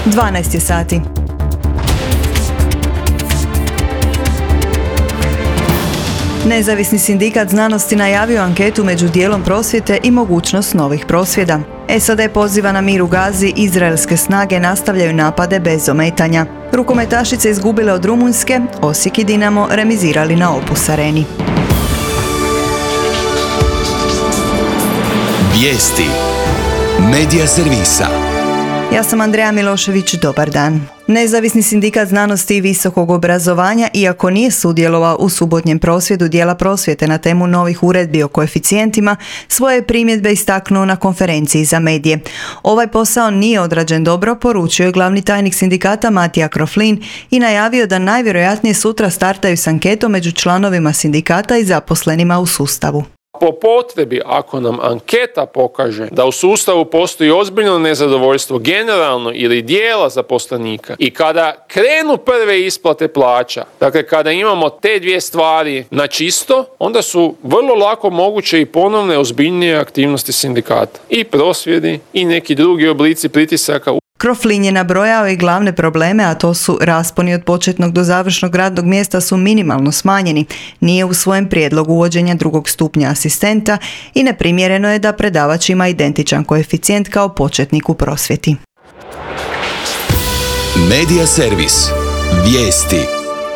12 je sati. Nezavisni sindikat znanosti najavio anketu među dijelom prosvjete i mogućnost novih prosvjeda. SAD poziva na mir u Gazi, izraelske snage nastavljaju napade bez ometanja. Rukometašice izgubile od Rumunjske, Osijek i Dinamo remizirali na Opus Areni. Vijesti Medija servisa. Ja sam Andreja Milošević, dobar dan. Nezavisni sindikat znanosti i visokog obrazovanja, iako nije sudjelovao u subotnjem prosvjedu dijela prosvjete na temu novih uredbi o koeficijentima, svoje primjedbe istaknuo na konferenciji za medije. Ovaj posao nije odrađen dobro, poručio je glavni tajnik sindikata Matija Kroflin i najavio da najvjerojatnije sutra startaju s anketom među članovima sindikata i zaposlenima u sustavu. Po potrebi, ako nam anketa pokaže da u sustavu postoji ozbiljno nezadovoljstvo generalno ili dijela zaposlenika i kada krenu prve isplate plaća, dakle kada imamo te dvije stvari na čisto, onda su vrlo lako moguće i ponovne ozbiljnije aktivnosti sindikata. I prosvjedi i neki drugi oblici pritisaka. Kroflin je nabrojao i glavne probleme, a to su rasponi od početnog do završnog radnog mjesta su minimalno smanjeni, nije u svojem prijedlogu uvođenja drugog stupnja asistenta i neprimjereno je da predavač ima identičan koeficijent kao početnik u prosvjeti. Medija servis. Vijesti.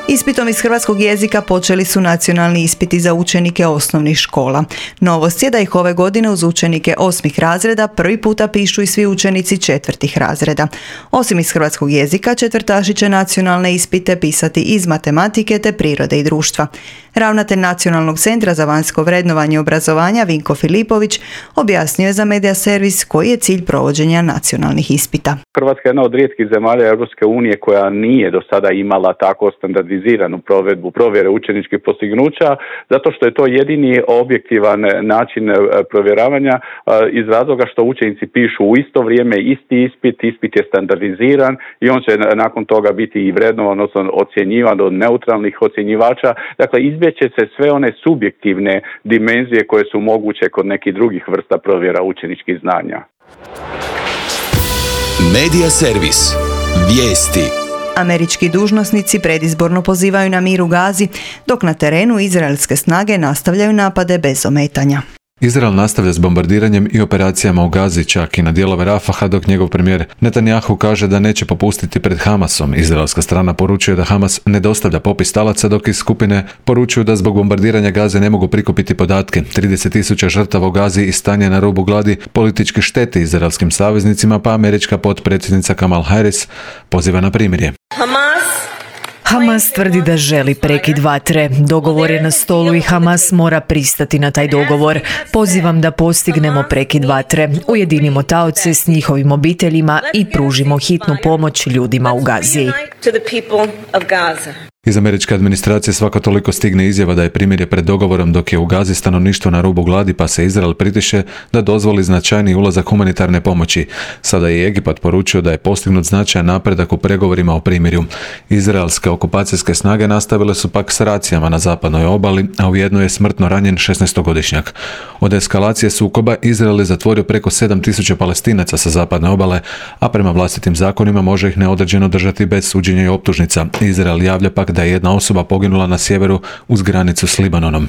Ispitom iz hrvatskog jezika počeli su nacionalni ispiti za učenike osnovnih škola. Novost je da ih ove godine uz učenike 8. razreda prvi puta pišu i svi učenici 4. razreda. Osim iz hrvatskog jezika, četvrtaši će nacionalne ispite pisati iz matematike te prirode i društva. Ravnatelj Nacionalnog centra za vanjsko vrednovanje obrazovanja Vinko Filipović objasnio je za Medija servis koji je cilj provođenja nacionalnih ispita. Hrvatska je jedna od rijetkih zemalja Europske unije koja nije do sada imala tako standardiziranu provedbu provjere učeničkih postignuća, zato što je to jedini objektivan način provjeravanja iz razloga što učenici pišu u isto vrijeme isti ispit je standardiziran i on će nakon toga biti i vrednovan, odnosno ocjenjivan od neutralnih ocjenjivača. Dakle, izbjeće se sve one subjektivne dimenzije koje su moguće kod nekih drugih vrsta provjera učeničkih znanja. Medija servis. Vijesti. Američki dužnosnici predizborno pozivaju na mir u Gazi, dok na terenu izraelske snage nastavljaju napade bez ometanja. Izrael nastavlja s bombardiranjem i operacijama u Gazi, čak i na dijelove Rafaha, dok njegov premijer Netanjahu kaže da neće popustiti pred Hamasom. Izraelska strana poručuje da Hamas ne dostavlja popis talaca, dok iz skupine poručuju da zbog bombardiranja Gaze ne mogu prikupiti podatke. 30.000 žrtava u Gazi i stanje na rubu gladi politički šteti izraelskim saveznicima, pa američka potpredsjednica Kamala Harris poziva na primirje. Hamas tvrdi da želi prekid vatre. Dogovor je na stolu i Hamas mora pristati na taj dogovor. Pozivam da postignemo prekid vatre, ujedinimo taoce s njihovim obiteljima i pružimo hitnu pomoć ljudima u Gazi. Iz američke administracije svako toliko stigne izjava da je primirje pred dogovorom, dok je u Gazi stanovništvo na rubu gladi, pa se Izrael pritiše da dozvoli značajni ulazak humanitarne pomoći. Sada je Egipat poručio da je postignut značajan napredak u pregovorima o primirju. Izraelske okupacijske snage nastavile su pak s racijama na zapadnoj obali, a u jednoj je smrtno ranjen 16-godišnjak. Od eskalacije sukoba Izrael je zatvorio preko 7.000 Palestinaca sa zapadne obale, a prema vlastitim zakonima može ih neodređeno držati bez suđenja i optužnica. Izrael javlja pak da je jedna osoba poginula na sjeveru uz granicu s Libanonom.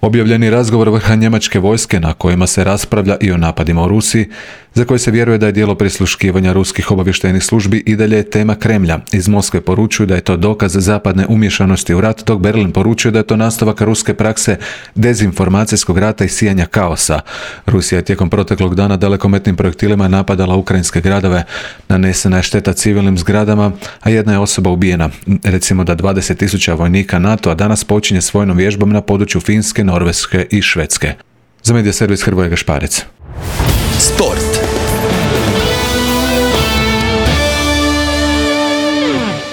Objavljeni razgovor vrha njemačke vojske na kojima se raspravlja i o napadima u Rusiji, za koje se vjeruje da je djelo prisluškivanja ruskih obavještajnih službi i dalje je tema Kremlja. Iz Moskve poručuju da je to dokaz zapadne umješanosti u rat, dok Berlin poručuje da je to nastavak ruske prakse dezinformacijskog rata i sijanja kaosa. Rusija je tijekom proteklog dana dalekometnim projektilima napadala ukrajinske gradove. Nanesena je šteta civilnim zgradama, a jedna je osoba ubijena. Recimo da 20.000 vojnika NATO-a danas počinje s vojnom vježbom na području Finske, Norveške i Švedske. Za Medija servis Hrvoje Gašparec. Sport.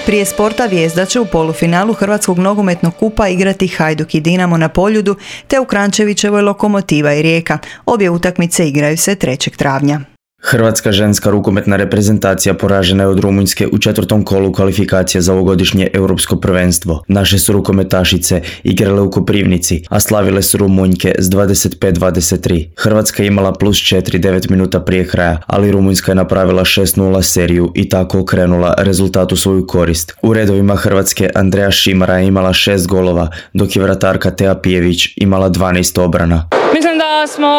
Prije sporta Vijezda će u polufinalu Hrvatskog nogometnog kupa igrati Hajduk i Dinamo na Poljudu, te u Kranjčevićevoj Lokomotiva i Rijeka. Obje utakmice igraju se 3. travnja. Hrvatska ženska rukometna reprezentacija poražena je od Rumunjske u 4. kolu kvalifikacije za ovogodišnje europsko prvenstvo. Naše su rukometašice igrale u Koprivnici, a slavile su Rumunjke s 25-23. Hrvatska je imala +4 9 minuta prije kraja, ali Rumunjska je napravila 6-0 seriju i tako okrenula rezultat u svoju korist. U redovima Hrvatske Andreja Šimara je imala 6 golova, dok je vratarka Tea Pijević imala 12 obrana. Mislim da smo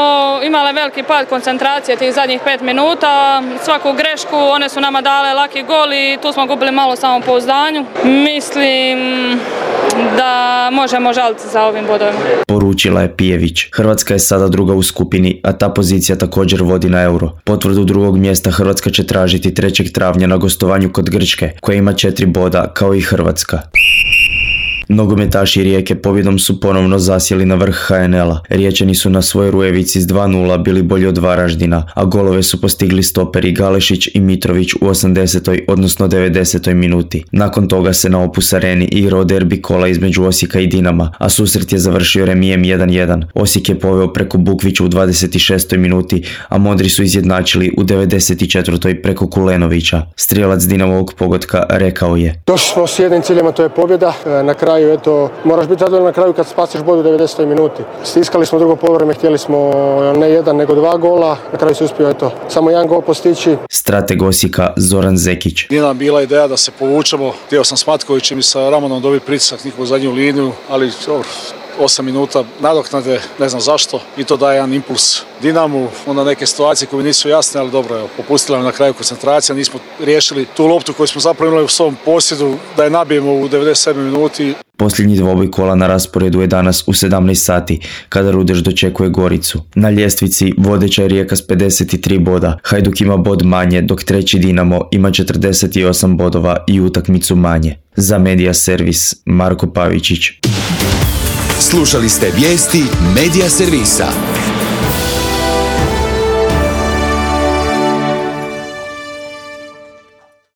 imali veliki pad koncentracije tih zadnjih 5 minuta. Svaku grešku, one su nama dale laki gol i tu smo gubili malo samopouzdanju. Mislim da možemo žaliti za ovim bodovima. Poručila je Pijević. Hrvatska je sada druga u skupini, a ta pozicija također vodi na Euro. Potvrdu drugog mjesta Hrvatska će tražiti 3. travnja na gostovanju kod Grčke, koja ima 4 boda kao i Hrvatska. Nogometaši Rijeke pobjedom su ponovno zasjeli na vrh HNL-a. Riječani su na svojoj Rujevici s 2-0 bili bolji od Varaždina, a golove su postigli stoperi Galešić i Mitrović u 80. odnosno 90. minuti. Nakon toga se na Opus Areni igrao derbi kola između Osijeka i Dinama, a susret je završio remijem 1-1. Osijek je poveo preko Bukvića u 26. minuti, a Modri su izjednačili u 94. preko Kulenovića. Strijelac Dinamovog pogotka rekao je: Došli smo s jednim ciljem, a to je pobjeda. Na kraju, eto, moraš biti zadovoljan na kraju kad spasiš bod u 90. minuti. Stiskali smo drugo poluvreme, htjeli smo ne 1 nego 2 gola, na kraju se uspio samo 1 gol postići. Strateg Osijeka Zoran Zekić. Nije nam bila ideja da se povučemo, htio sam s Matkovićem i sa Ramonom dobiti pritisak njihovu zadnju liniju, ali 8 minuta nadoknade, ne znam zašto, i to daje jedan impuls Dinamu, onda neke situacije koje nisu jasne, ali dobro, evo, popustila nam na kraju koncentracija, nismo riješili tu loptu koju smo zapravo imali u svom posjedu, da je nabijemo u 97 minuti. Posljednji dvoboj kola na rasporedu je danas u 17 sati, kada Rudeš dočekuje Goricu. Na ljestvici vodeća je Rijeka s 53 boda, Hajduk ima bod manje, dok treći Dinamo ima 48 bodova i utakmicu manje. Za Medija Servis, Marko Pavičić. Slušali ste vijesti Medija Servisa.